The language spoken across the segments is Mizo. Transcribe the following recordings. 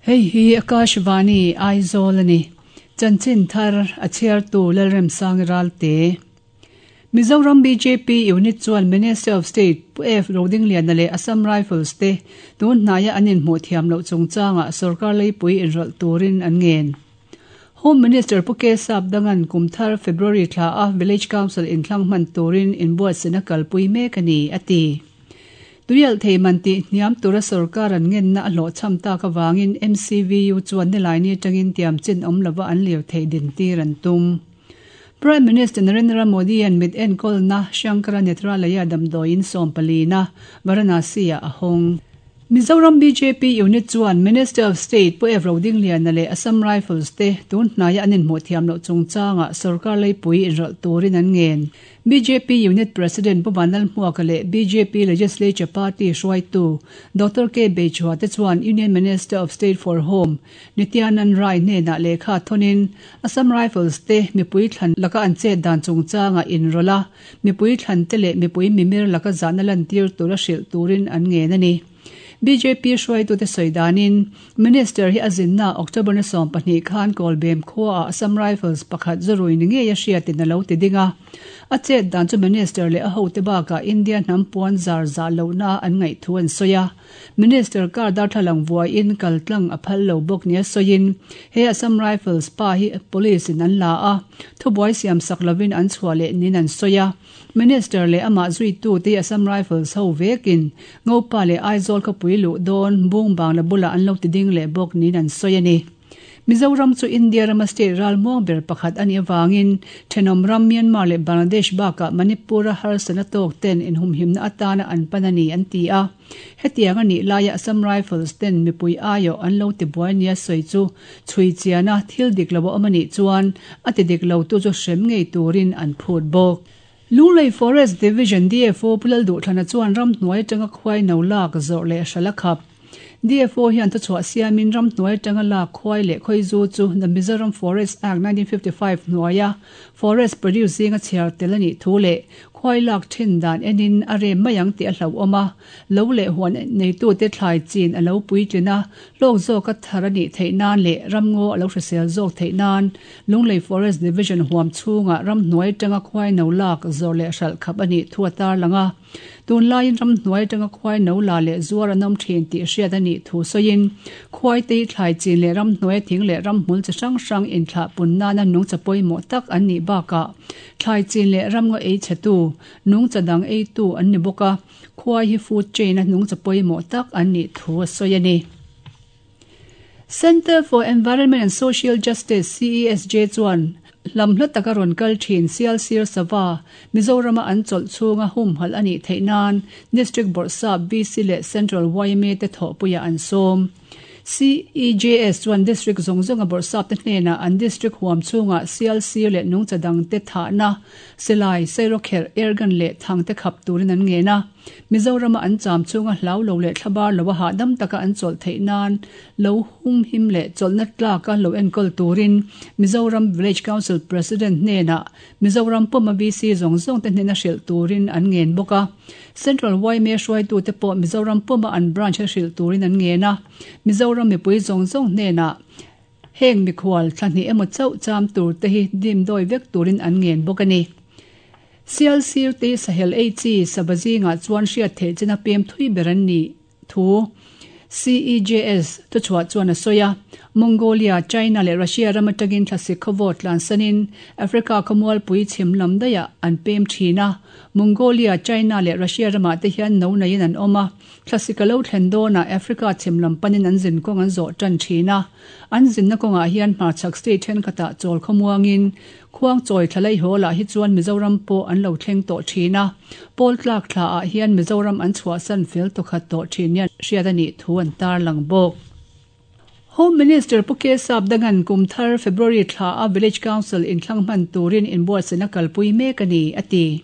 Hei hi Akashvani Aizawl a ni. Chanchin thar a chhiartu Lalremsangi Ralte. Mizoram bjp unit chuan Minister of State Pu F Rodingliana leh Assam Rifles te tun hnaia an inhmuh thiam loh chungchangah sorkar leipui inrawlh turin an ngen. Home Minister Pu K Sapdangan kum thar February thla a Village Council inthlang hman turin inbuatsaihna kalpui mek a ni, a ti. Tuialh thei man tih hniam tura sorkar an ngenna a hlawhchham tak avangin MCVU chuan nilaini atangin tiamchin awm lova an lirthei dintir an tum. Prime Minister Narendra Modi-a'n mit enkawlna Shankara Netralaya damdawiin sawmpalina Varanasi-ah a hawng. Mizoram bjp unit chuan Minister of State Pu Ev Rodingliana leh Assam Rifles te tun hnaia an inhmuh thiam loh chungchangah sorkar leipui inrawlh turin an ngen. Bjp unit President Pu Vanlalhmuaka leh bjp Legislature Party hruaitu Doctor K Beichhua te chuan Union Minister of State for Home Nityanand Rai hnenah lehkha thawnin Assam Rifles te mipui thlan laka an chet dan chungchangah inrawlh a, mipui thlan te leh mipui mimir laka zahna lantir tura hrilh turin an ngen a ni. Bjp hruaitute sawi danin, Minister hi a zinna October ni 12 khan Kawlbem khuaah Assam Rifles pakhat zurui ni ngei a hriatin a lo ti ding a. A chet dan chu Minister leh a hote bakah India hnam puan zar zah lohna an ngaih thu an sawi a. Minister kar darthlalang vuaiin kal tlang a phal lo bawk nia sawiin, he Assam Rifles pa hi Police in an la a, thubuai siam sak lovin an chhuah leh niin an sawi a. Minister leh amah zuitu te Assam Rifles ho vekin Ngopa leh Aizawl khawpui luh dawn Bung Bangla bulah an lo ti ding leh bawk niin an sawi a ni. Mizoram chu India rama state ralmuang ber pakhat a nih avangin thenawm ram Myanmar leh Bangladesh bakah Manipur-a harsatna tawk ten inhumhimna atana an pan a ni an ti a. Hetiang a nih laia Assam Rifles ten mipui aiawh an lo tibuai nia sawi chu chhui chiana thil dik lo a awm a nih chuan a ti dik lotu chu hrem ngei turin an phut bawk. Lunglei Forest Division DFO Pu Lalduhthlana chuan ramhnuai atanga khuai no lak zawrh leh hral a khap. DFO hian thuchhuah siamin ramhnuai atanga lak khuai leh khawizu chu The Mizoram Forest Act 1955 hnuaia Forest Produce zinga chhiar tel a nih thu leh khuai lak thin dan enin a rem mai ang tih a hlauhawm a, lo leh huan neitute thlai chin a lo puitlin a, hlawk zawka thar a nih theih nan leh ramngaw a lo hrisel zawk theih nan Lunglei Forest Division huam chhungah ramhnuai atanga khuai no lak zawrh leh hralh khap a nih thu a tarlang a. Tunlaiin ramhnuai atanga khuai no la leh zuar an awm thin tih hriat a nih thu sawiin, khuai te hi thlai chin leh ramhnuai thing leh ramhmul chi hrang hrang inthlah pun nana nungcha pawimawh tak an nih bakah thlai chin leh ramngaw ei chhetu, nungcha dang eitu an ni bawk a, khuai hi food chain-a nungcha pawimawh tak an nih thu a sawi a ni. Centre for Environment and Social Justice, CESJ, chuan hlam hla taka rawn kal thin Sialsir Sava, Mizorama an chawlh chhunga humhalh a nih theih nan District Bawrhsap, VC leh Central yma te thawhpuiah an sawm. CEJS chuan District zawng zawnga Bawrhsap te hnenah an District huam chhungah Sialsir leh nungcha dangte thahna, silai, sairawkherh, airgun leh thangte khap turin an ngen a. Mizorama an cham chhunga hlau lo leh thlabar lo a hahdam taka an chawlh theih nan lo humhim leh chawlhna tlaka lo enkawl turin Mizoram Village Council President hnenah Mizoram puma VC zawng zawngte hnena hrilh turin an ngen bawk a. Central yma hruaitute pawh Mizoram puma an branch a hrilh turin an ngen a. Mizoram mipui zawng zawng hnenah Heng mikhual thla hnih emaw chauh cham tur te hi dim dawi vek turin an ngen bawk a ni. Sial sir te hi sahel ei chi sava zingah chuan hriat theih china pem thui ber an nih thu CEJS thuchhuah chuan a sawi a. Mongolia, China leh Russia ram atangin thlasik khawvawt tlansanin Africa khawmualpui chhim lam daihah an pem thin a. Mongolia, China leh Russia ramah te hian no neiin an awm a. Thlasik a lo thlen dawnah Africa chhim lam panin an zin kawng an zawh tan thin a. An zinna kawngah hian hmarchhak state thenkhatah chawl khawmuangin Khuangchawi thlalai hawlah hi chuan Mizoram pawh an lo thleng tawh thin a. Pawl tlak thlaah hian Mizoram an chhuahsan fel tawkhat tawh thin nia hriat a nih thu an tarlang bawk. Home Minister Pu K Sapdangan kum thar February thla a Village Council inthlang hman turin inbuatsaihna kalpui mek a ni, a ti.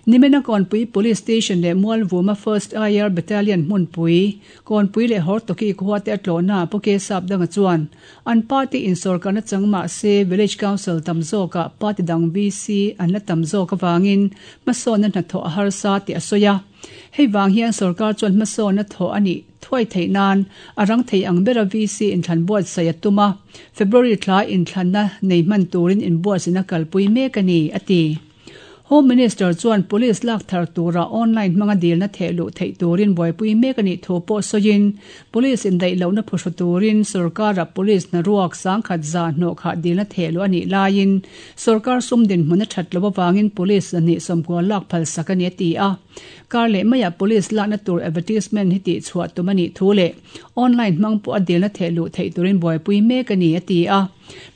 Nimena Kawnpui Police Station leh Mualvuma First IR Battalion hmunpui, Kawnpui leh Hortoki khua te a tlawhna Pu K Sapdanga chuan an party insawrkarna chang mah se Village Council tam zawkah party dang VC an la tam zawk avangin hmasawnna hnathawh a harsa tih a sawi a. Hei vang hian sorkar chuan hmasawn a thawh a nih thuai theih nan a rang thei ang bera VC inthlan buatsaih a tum a, February thla inthlanna nei hman turin inbuatsaihna kalpui mek a ni, a ti. Home Minister chuan Police lak thar tura online hmanga dilna theh luh theih turin buaipui mek a nih thu pawh sawiin, Police indaih lohna phuhru turin sorkara Police hnaruak sangkhat za hnawhkhah dilna theh luh a nih laiin sorkar sum dinhmun a that loh avangin Police 290 lak phalsak a ni a ti a. Kar leh maiah Police lakna tur advertisement hi tihchhuah tum a nih thu leh online hmang pawh a dilna theh luh theih turin buaipui mek a ni a ti a.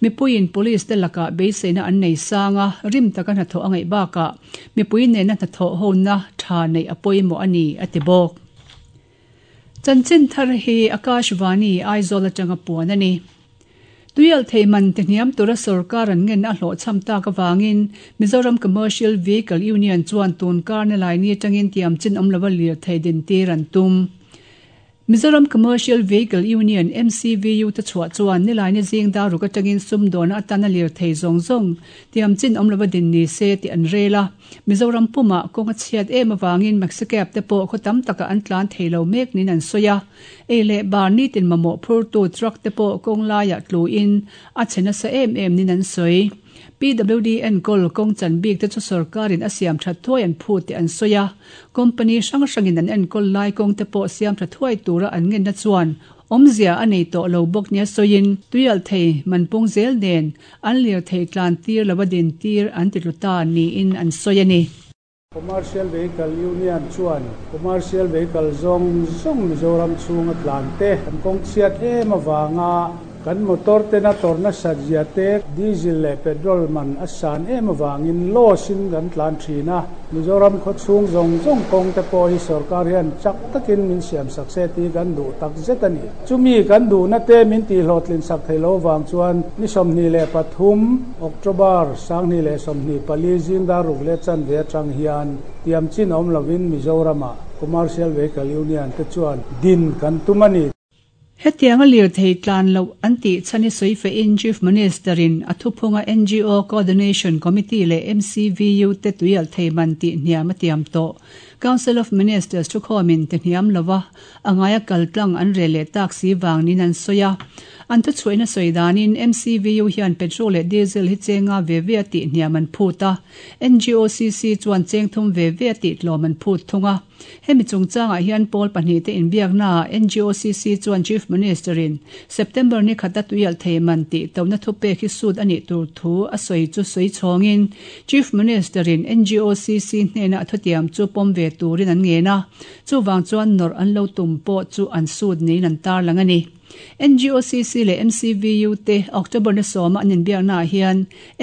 Mipuiin Police te lakah beiseina an nei sang a, rim taka hnathawh a ngaih bakah mipui nena hnathawh hona tha neih a pawimawh a ni, a ti bawk. Chanchin thar hi Akashvani, Aizawl atanga puan a ni. Tuialhthei man ti hniam tura sorkar an ngen a hlawhchham tak avangin Mizoram Commercial Vehicle Union chuan tun kar na laini atangin tiam chin awm lova lirthei dintir an tum. Mizoram Commercial Vehicle Union, MCVU, te chhuah chuan nilaini zing dar ruk atangin sumdawna atana lirthei zawng zawng tiam chin awm lova din ni se tih an rel a. Mizoram pumah kawng a chhiat em avangin Maxicab te pawh khaw tam takah an tlan thei lo mek niin an sawi a. Ei leh bar nitin mamawh phurtu truck te pawh kawng laiah tluin a chhe nasa em em niin an sawi. PWD enkawl kawng chan bik te chu sorkarin a siam that thuai an phut tih an sawi a. Company hrang hrangin an enkawl lai kawng te pawh siam tha thuai tura an ngenna chuan awmzia a nei tawh lo bawk nia sawiin tuialhthei man pung zel nen an lirthei tlan tir lova din tir an ti tlu ta niin an sawi a ni. Commercial Vehicle Union chuan Commercial Vehicle zawng zawng Mizoram chhunga tlan te kan kawng chhiat em avanga Kan motor tena tawrh nasat zia te, diesel leh petrol man a san em avangin loss in kan tlan thin a. Mizoram khaw chhung zawng zawng kawng te pawh hi sorkar hian chak takin min siam sak se tih kan duh tak zet a ni. Chumi kan duhna te min tihhlawhtlin sak thei lo vang chuan ni 23 October 2024 zing dar ruk leh chanve atang hian tiam chin awm lovin Mizoramah Commercial Vehicle Union te chuan din kan tum a ni. Hetianga lirthei tlan loh an tih chhan hi sawi fehin Chief Minister-in a thuphunga ngo Coordination Committee leh MCVU te tuialhthei man tih hniam a tiam tawh. Council of Ministers thukhawmin ti hniam lova a ngaia kal tlang an rel leh tak si vang niin an sawi a. An thuchhuahna sawi danin MCVU hian petrol leh diesel hi chenga ve ve a tih hniam an phut a, NGOCC chuan cheng thum ve ve a tih tlawm an phut thung a. Hemi chungchangah hian pawl pahnihte inbiaknaah NGOCC chuan Chief Minister-in September ni khata tuialhthei man tih tona thupek hi sut a nih tur thu a sawi chu sawi chhawngin Chief Minister-in NGOCC hnena a thutiam chu pawm ve turin an ngen a, chuvang chuan nawrh an lo tum pawh chu an sut niin an tarlang a ni. NGOCC leh MCVU te October ni sawma an inbiaknaah hian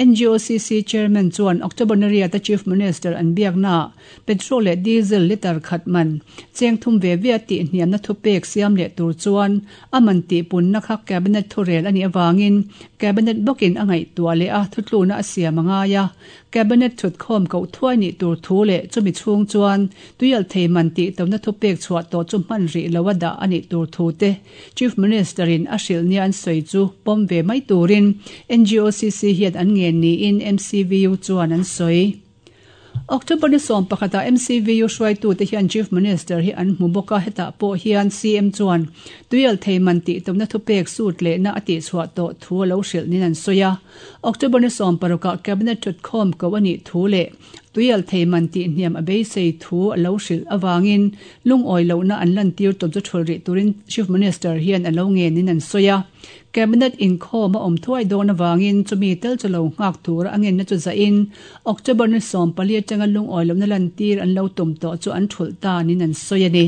NGOCC Chairman chuan October ni riata Chief Minister an biaknaah Petrol leh diesel litre khat man cheng thum ve ve a tih hniamna thupek siam leh tur chuan a man tihpunna kha Cabinet thurel a nih avangin Cabinet bawkin a ngaihtuah leh a thutluna a siam a ngai a. Cabinet thutkhawm koh thuai nih tur thu leh chumi chhung chuan tuialhthei man tihtona thupek chhuah tawh chu hman rih lo a dah a nih tur thu te Chief Minister in a hrilh nia an sawi chu pawm ve mai turin NGOCC hian an ngen niin MCVU chuan an sawi. October ni 11 ah MCVU hruaitute hian Chief Minister hi an hmu bawk a, hetah pawh hian CM chuan tuialhthei man tihtumna thupek sut lehna a tihchhuah tawh thu a lo hrilh niin an sawi a. October ni 16 ah Cabinet thutkhawm ko a nih thu leh tuialhthei man tihhniam a beisei thu a lo hrilh avangin lungawi lohna an lantir tum chu thul rih turin Chief Minister hian a lo ngenin an sawi a. Cabinet inkhawm a awm thuai dawn avangin chumi tel chu lo nghak tura a ngenna chu zahin October ni 14 atanga lungawi lohna lantir an lo tum tawh chu an thulh ta niin an sawi a ni.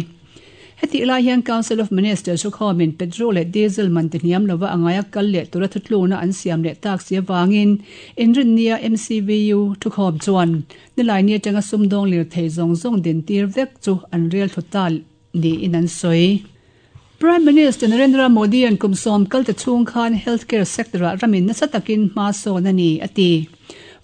Hetih lai hian Council of Ministers thukhawmin petrol leh diesel man ti hniam lova a ngaia kal leh tura thutlukna an siam leh tak si avangin Inrinnia MCVU thukhawm chuan nilaini atanga sumdawng lirthei zawng zawng dintir vek chu an rel thlu ta niin an sawi. Prime Minister Narendra Modi-a'n kum sawm kalte chhung khan healthcare sector-ah ramin nasa takin hma sawn a ni, a ti.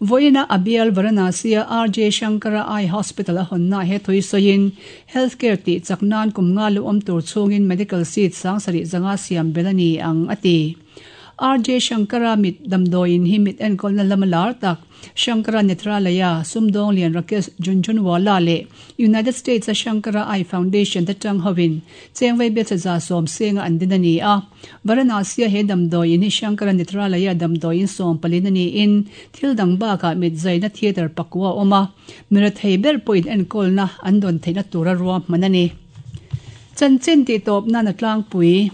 Vawiina a bial Varanasi-a RJ Shankara Eye Hospital a hawnnaah he thui sawiin, healthcare tih chak nan kum nga lu awm tur chhungin medical seat 7500 siam belh a ni ang, a ti. RJ Shankara mit damdawiin hi mit enkawlna lama lar tak Shankara Nethralaya sumdawng lian Rakesh Jhunjhunwala leh United States-a Shankara Eye Foundation te tang hovin chengvei biacha 110 senga an din a ni a. Varanasi-a he damdawiin hi Shankara Nethralaya damdawiin sawmpalin a niin thil dang bakah mit zaina theatre pakua a awm a, mi rethei ber pawhin enkawlna an dawn theihna tura ruahman a ni. Chanchin tihtawp nan a tlangpui.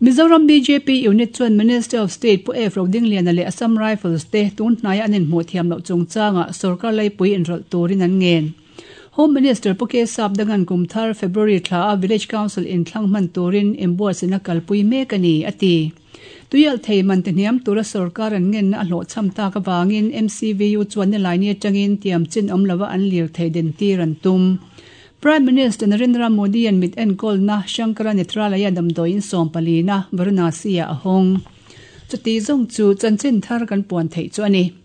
Mizoram bjp unit chuan Minister of State Pu F Rodingliana leh Assam Rifles te tun hnaia an inhmuh thiam loh chungchangah sorkar laipui inrawlh turin an ngen. Home Minister Pu K Sapdangan kum thar February thla a Village Council inthlang hman turin inbuatsaihna kalpui mek a ni, a ti. Tuialh thei man ti hniam tura sorkar an ngenna a hlawhchham tak avangin MCVU chuan nilaini atangin tiam chin awm lova an lirthei dentir an tum. Prime Minister Narendra Modi-a'n mit enkawlna Shankara Nethralaya damdawiin sawmpalina Varanasi-ah a hawng. Chuti zawng chu chanchin thar kan puan theih chu a ni.